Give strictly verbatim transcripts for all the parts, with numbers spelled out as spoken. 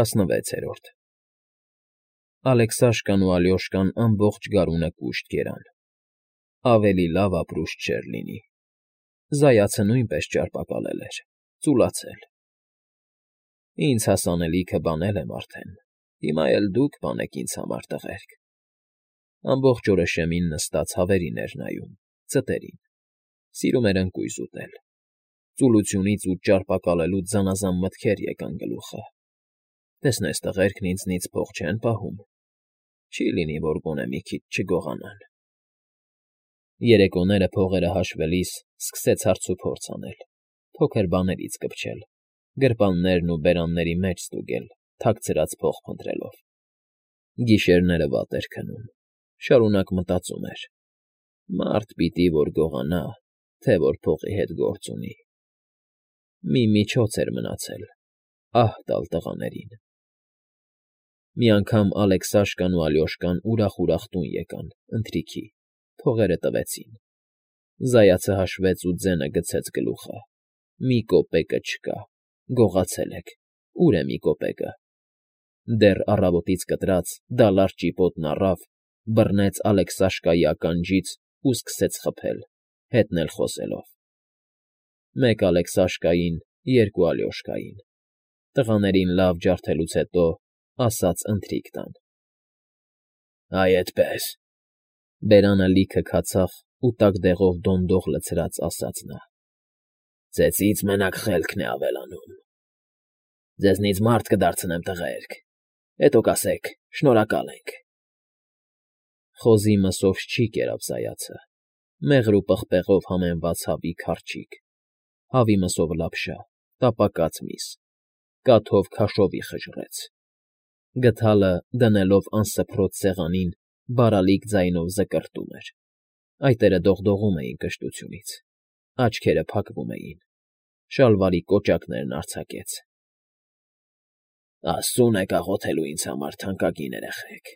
ՏԱՍՆՎԵՑԵՐՈՐԴ Ալեքսաշկան ու Ալյոշկան ամբողջ գարունը կուշտ կերան, ավելի լավ ապրուստ չէր լինի, զայացը նույնպես ճարպակալել էր, ծուլացել։ ֊ Ինձ հասանելիքը բանել եմ արդեն, հիմա էլ դուք բանեք ինձ համար, տղերք, ամբողջ օրը շեմին նստած հավերին էր նայում, ձտերին, սիրում էր ընկույզ ուտել, ծուլությունից ու ճարպակալելուց զանազան մտքեր եկան գլուխը. տեսնես տղերքն ինձնից փող չեն պահում, չի լինի, որ գոնե մի քիչ չգողանան։ Երեկոները փողերը հաշվելիս սկսեց հարցուփորձ անել, փոքր բաներից կպչել, գրպաններն ու բերանների մեջ ստուգել, թաքցրած փող փնտրելով։ Գիշերները վատ էր քնում, շարունակ մտածում էր. մարդ պիտի որ գողանա, թե որ փողի հետ գործ ունի։ Մի միջոց էր մնացել՝ ահ տալ տղաներին։ Մի անգամ Ալեքսաշկան ու Ալյոշկան ուրախ֊ուրախ տուն եկան, ընթրիքի, փողերը տվեցին։ Զայացը հաշվեց ու ձենը գցեց գլուխը. մի կոպեկը չկա, գողացել եք, ո՞ւր է մի կոպեկը։ Դեռ առավոտից կտրած դալար ճիպոտն առավ, բռնեց Ալեքսաշկայի ականջից ու սկսեց խփել, հետն էլ խոսելով. մեկ Ալեքսաշկային, երկու Ալյոշկային, տղաներին լավ ջարդելուց հետո ասաց ընթրիք տան։ Այ էդպես, բերանը լիքը քացախ ու տաք դեղով դոնդող լցրած ասաց նա. ծեծից մենակ խելքն է ավելանում։ Ձեզնից մարդ կդարձնեմ, տղերք, հետո կասեք շնորհակալ ենք։ Խոզի մսով չի կերավ զայացը, մեղր ու պղպեղով համեմված հավի քարչիկ, հավի մսով լապշա, տապակած միս, կաթով քաշովի խժռեց։ Գդալը, դնելով անսփռոց սեղանին, բարալիկ ձայնով զկրտում էր, այտերը դողդողում էին կշտությունից, աչքերը փակվում էին, շալվարի կոճակներն արձակեց։ Աստծուն եք աղոթելու ինձ համար, թանկագին երեխեք,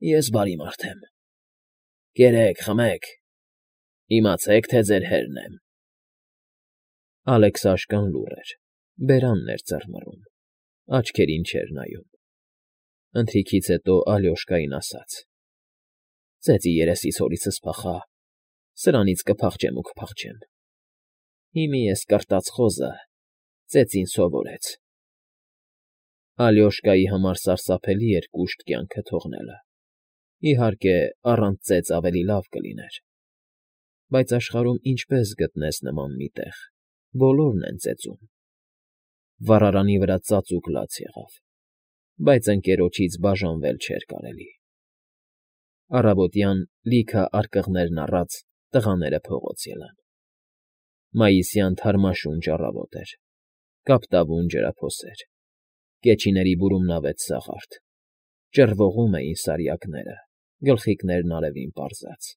ես բարի մարդ եմ, կերեք, խմեք, իմացեք, թե ձեր հերն եմ։ Ալեքսաշկան լուռ էր, բերանն էր ծռմռում, աչքերին չէր նայում։ Ընթրիքից հետո Ալյոշկային ասաց. ծեծի երեսից հորիցս փախա, սրանից կփախչեմ ու կփախչեմ։ Հիմի ես կրտած խոզը ծեծին սովորեց։ Ալյոշկայի համար սարսափելի էր կուշտ կյանքը թողնելը, իհարկե, առանց ծեծ ավելի լավ կլիներ, բայց աշխարհում ինչպես գտնես նման մի տեղ, բոլորն են ծեծում։ Վառարանի վրա ծածուկ լաց եղավ, բայց ընկերոջից բաժանվել չէր կարելի։ Առավոտյան լիքը արկղներն առած տղաները փողոց ելան։ Մայիսյան թարմաշունչ առավոտ էր, կապտավուն ջրափոսեր, կեչիների բուրումնավետ սաղարթ, ճռվողում էին սարյակները, գլխիկներն արևին պարզած։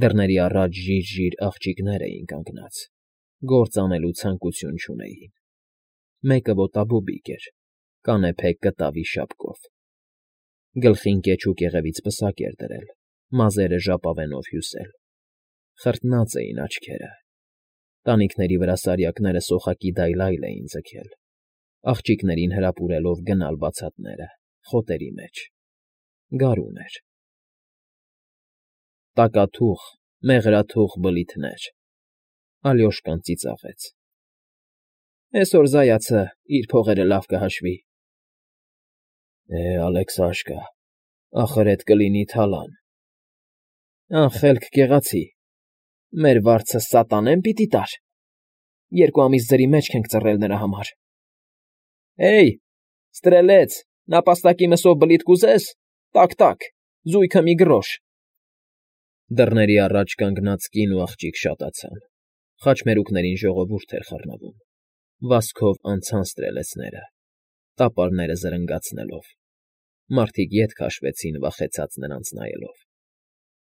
Դռների առաջ ժիր֊ժիր աղջիկներ էին կանգնած, գործ անելու ցանկություն չունեին։ Մեկը ոտաբոբիկ էր, կանեփե կտավի շապկով, գլխին կեչու կեղևից պսակ էր դրել, մազերը ժապավենով հյուսել, խրտնած էին աչքերը, տանիքների վրա սարյակները սոխակի դայլայլ էին ձգել, աղջիկներին հրապուրելով գնալ բացատները, խոտերի մեջ, գարուն էր։ Տակաթուխ, մեղրաթուխ բլիթներ, Ալյոշկան ծիծաղեց. Էսօր զայացը իր փողերը լավ կհաշվի։ Է, Ալեքսաշկա, ախր էդ կլինի թալան։ Անխելք կեղացի, մեր վարձը սատանե՞ն պիտի տար։ Երկու ամիս ձրի մեջք ենք ծռել նրա համար։ Հեյ, ստրելեց, նապաստակի մսով բլիթ կուզես, տակ֊տակ, զույգը մի գրոշ։ Դռների առաջ կանգնած կին ու աղջիկ շատացան, խաչմերուկներին ժողովուրդ էր խռնվում, վազքով անցան ստրելեցները, տապարները զրնգացնելով, մարդիկ ետ քաշվեցին վախեցած նրանց նայելով։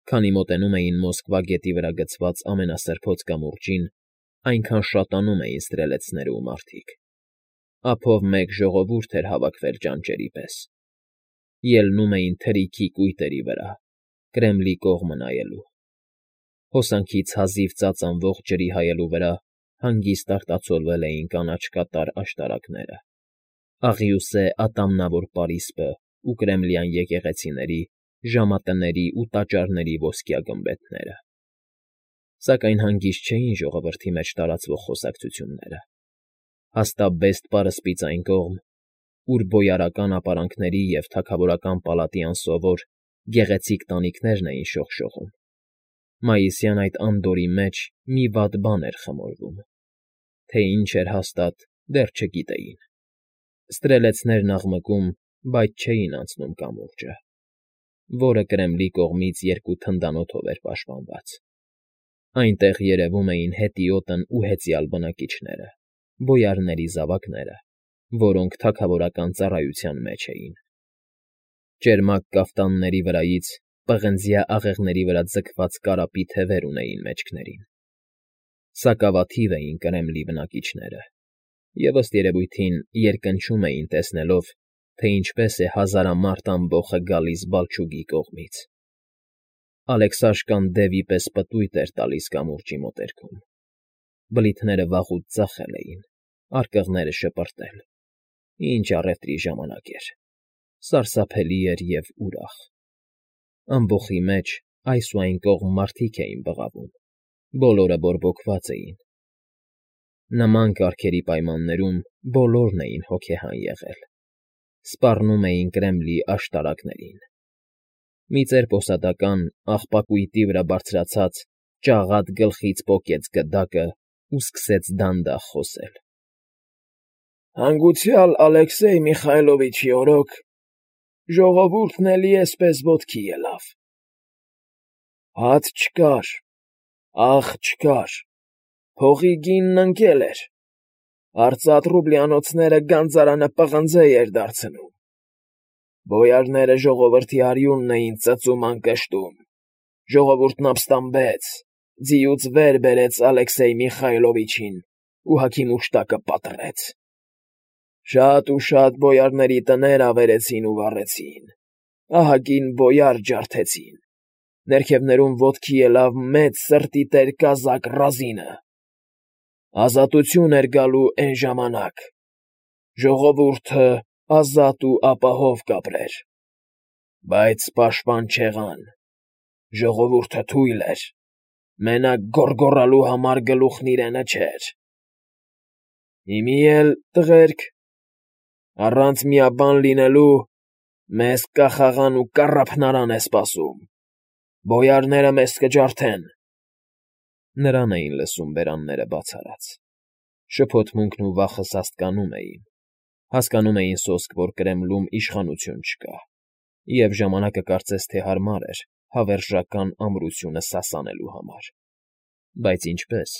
Քանի մոտենում էին Մոսկվա գետի վրա գցված ամենասրբոց կամուրջին, այնքան շատանում էին ստրելեցները ու մարդիկ։ Ափով մեկ ժողովուրդ էր հավաքվել ճանճերի պես, ելնում էին թրիքի կույտերի վրա, Կրեմլի կողմը նայելու։ Հոսանքից հազիվ ծածանվող ջրի հայելու վրա հանգիստ արտացոլվել էին կանաչ կատար աշտարակները, աղյուսե ատամնավոր պարիսպը ու կրեմլյան եկեղեցիների, ժամատների ու տաճարների ոսկյա գմբեթները։ Սակայն հանգիստ չէին ժողովրդի մեջ տարածվող խոսակցությունները, հաստաբեստ պարսպից այն կողմ, ուր բոյարական ապարանքների և թագավորական պալատի անսովոր, գեղեցիկ տանիքներն էին շողշողում, մայիսյան այդ անդորրի մեջ մի վատ բան էր խմորվում, թե ինչ էր հաստատ, դեռ չգիտեին. ստրելեցներն աղմկում, բայց չէին անցնում կամուրջը, որը Կրեմլի կողմից երկու թնդանոթով էր պաշտպանված. այնտեղ երևում էին հետիոտն ու հեծյալ բնակիչները, բոյարների զավակները, որոնք թագավորական ծառայության մեջ էին. ճերմակ կաֆտանների վրայից պղնձյա աղեղների վրա ձգված կարապի թևեր ունեին մեջքներին. սակավաթիվ էին Կրեմլի բնակիչները, և ըստ երևույթին երկնչում էին տեսնելով, թե ինչպես է հազարամարդ ամբոխը գալիս Բալչուգի կողմից. Ալեքսաշկան դևի պես պտույտ էր տալիս կամուրջի մոտերքում, բլիթները վաղուց ծախել էին, արկղները շպրտել. ինչ առևտրի ժամանակ էր, սարսափելի էր և ուրախ. ամբոխի մեջ այս ու այն կողմ մարդիկ էին բղավում, բոլորը բորբոքված էին. նման կարգերի պայմաններում բոլորն էին հոգեհան եղել, սպառնում էին Կրեմլի աշտարակներին. մի ծեր֊պոսատական աղբակույտի վրա բարձրացած ճաղատ գլխից պոկեց գդակն ու սկսեց դանդաղ խոսել. Հանգուցյալ Ալեքսեյ Միխայլովիչի օրոք ժողովուրդն էլի էսպես ոտքի ելավ. հաց չկար, աղ չկար, փողի գինն ընկել էր, արծաթ ռուբլյանոցները գանձարանը պղնձե էր դարձնում, բոյարները ժողովրդի արյունն էին ծծում անկշտում, ժողովուրդն ապստամբեց, ձիուց վեր բերեց Ալեքսեյ Միխայլովիչին ու հագի մուշտակը պատռեց. շատ ու շատ բոյարների տներ ավերեցին ու վառեցին, ահագին բոյար ջարդեցին, ներքևներում ոտքի ելավ մեծ սրտի տեր կազակ Ռազինը. ազատություն էր գալու էն ժամանակ, ժողովուրդը ազատ ու ապահով կապրեր, բայց պաշտպան չեղան, ժողովուրդը թույլ էր, մենակ գոռգոռալու համար գլուխն իրենը չէր. հիմի էլ, տղերք, առանց միաբան լինելու մեզ կախաղան ու կառափնարան է սպասում, բոյարները մեզ կջարդեն. նրան էին լսում բերանները բաց արած, շփոթմունքն ու վախը սաստկանում էին, հասկանում էին սոսկ, որ Կրեմլում իշխանություն չկա, և ժամանակը կարծես թե հարմար էր հավերժական ամրությունը սասանելու համար, բայց ինչպե՞ս.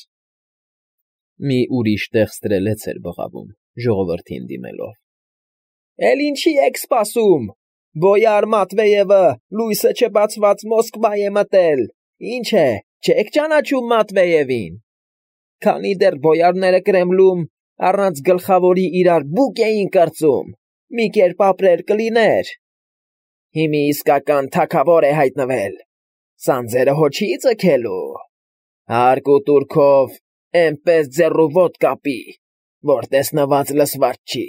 մի ուրիշ տեղ ստրելեց էր բղավում, ժողովրդին դիմելով. Էլ ինչի եք սպասում, բոյար Մատվեևը լույսը չբացված Մոսկվա է մտել, ինչ է, չեք ճանաչում Մատվեևին, քանի դեռ բոյարները Կրեմլում առանց գլխավորի իրար բուկ էին կրծում, մի կերպ ապրել կլիներ, հիմի իսկական թագավոր է հայտնվել, սանձերը հո չի ձգելու, հարկ ու տուրքով էնպես ձեռու ոտ կապի, որ տեսնված լսված չի,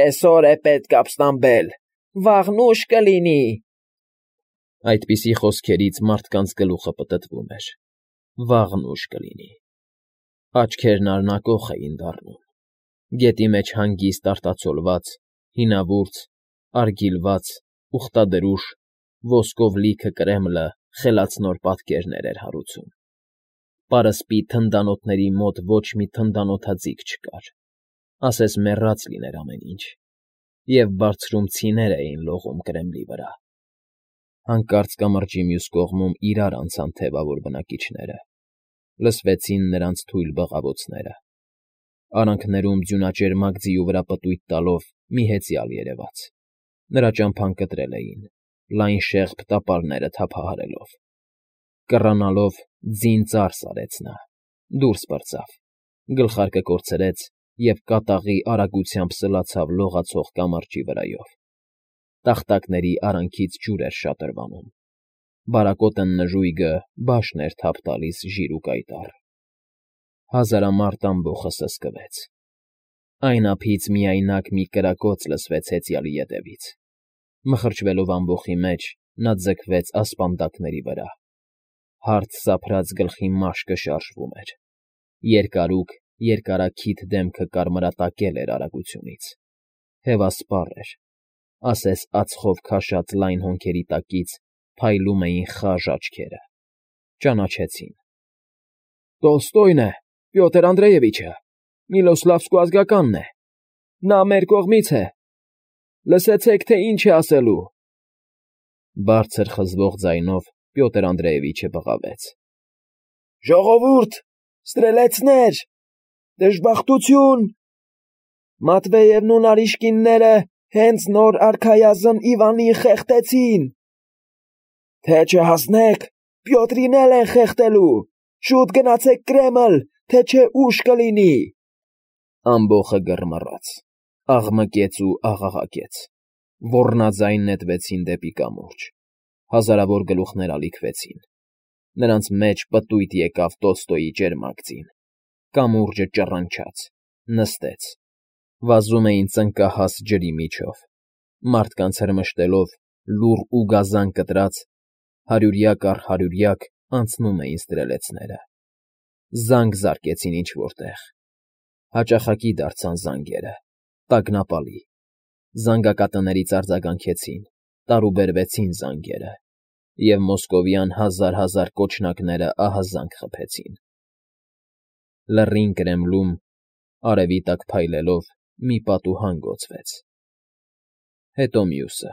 էսօր է պետք ապստամբել, վաղն ուշ կլինի… Այդպիսի խոսքերից մարդկանց գլուխը պտտվում էր, վաղն ուշ կլինի, աչքերն արնակոխ էին դառնում, գետի մեջ հանգիստ արտացոլված, հինավուրց, արգիլված, ուխտադրուժ, ոսկով լիքը Կրեմլը խելացնոր պատկերներ էր հարուցում, պարսպի թնդանոթների մոտ ոչ մի թնդանոթաձիգ չկար, ասես մեռած լիներ ամեն ինչ, և բարձրում ցիներ էին լողում Կրեմլի վրա. հանկարծ կամրջի մյուս կողմում իրար անցան թևավոր բնակիչները, լսվեցին նրանց թույլ բղավոցները, արանքներում ձյունաճերմակ ձիու վրա պտույտ տալով մի հեծյալ երևաց, նրա ճամփան կտրել էին, լայն շեղբ տապարները թափահարելով, կռանալով ձին ծարս արեց նա, դուրս պրծավ, գլխարկը կորցրեց և կատաղի արագությամբ սլացավ լողացող կամրջի վրայով, տախտակների արանքից ջուր էր շատրվանում, բարակոտն նժույգը բաշն էր թափ տալիս ժիր ու կայտառ, հազարամարդ ամբոխը սսկվեց, Այն ափից միայնակ մի կրակոց լսվեց հեծյալի ետևից։ Մխրճվելով ամբոխի մեջ, նա ձգվեց ասպանդակների վրա։ Հարթ սափրած գլխի մաշկը շարժվում էր։ Երկարուկ, երկարաքիթ դեմքը կարմրատակել էր արագությունից։ Հևասպառ էր, ասես ածխով քաշած լայն հոնքերի տակից փայլում էին խաժ աչքերը։ Ճանաչեցին։ ֊ Տոլստոյն է, Պյոտր Անդրեյևիչը, Միլոսլավսկու ազգականն է։ Նա մեր կողմից է։ Լսեցեք, թե ինչ է ասելու։ Բարձր խզվող ձայնով Պյոտր Անդրեյևիչը բղավեց. ֊ Ժողովուրդ, ստրելեցներ, դժբախտություն… Մատվեևն ու Նարիշկինները հենց նոր արքայազն Իվանին խեղդեցին… Թե չհասնեք, Պյոտրին էլ են խեղդելու… Շուտ գնացեք Կրեմլ, թե չէ ուշ կլինի… Ամբոխը գրմռաց, աղմկեց ու աղաղակեց, ոռնաձայն նետվեցին դեպի կամուրջ, հազարավոր գլուխներ ալիքվեցին, նրանց մեջ պտույտ եկավ Տոլստոյի ճերմակ ձին, կամուրջը ճռնչաց, նստեց, վազում էին ծնկահաս ջրի միջով, մարդկանց հրմշտելով, լուռ ու գազան կտրած, հարյուրյակ առ հարյուրյակ անցնում էին ստրելեցները, զանգ զարկեցին ինչ֊որ տեղ, հաճախակի դարձան զանգերը, տագնապալի, զանգակատներից արձագանքեցին, տարուբերվեցին զանգերը, և մոսկովյան հազար֊հազար կոճնակները ահազանգ խփեցին… Լռին Կրեմլում, արևի տակ փայլելով, մի պատուհան գոցվեց, հետո մյուսը։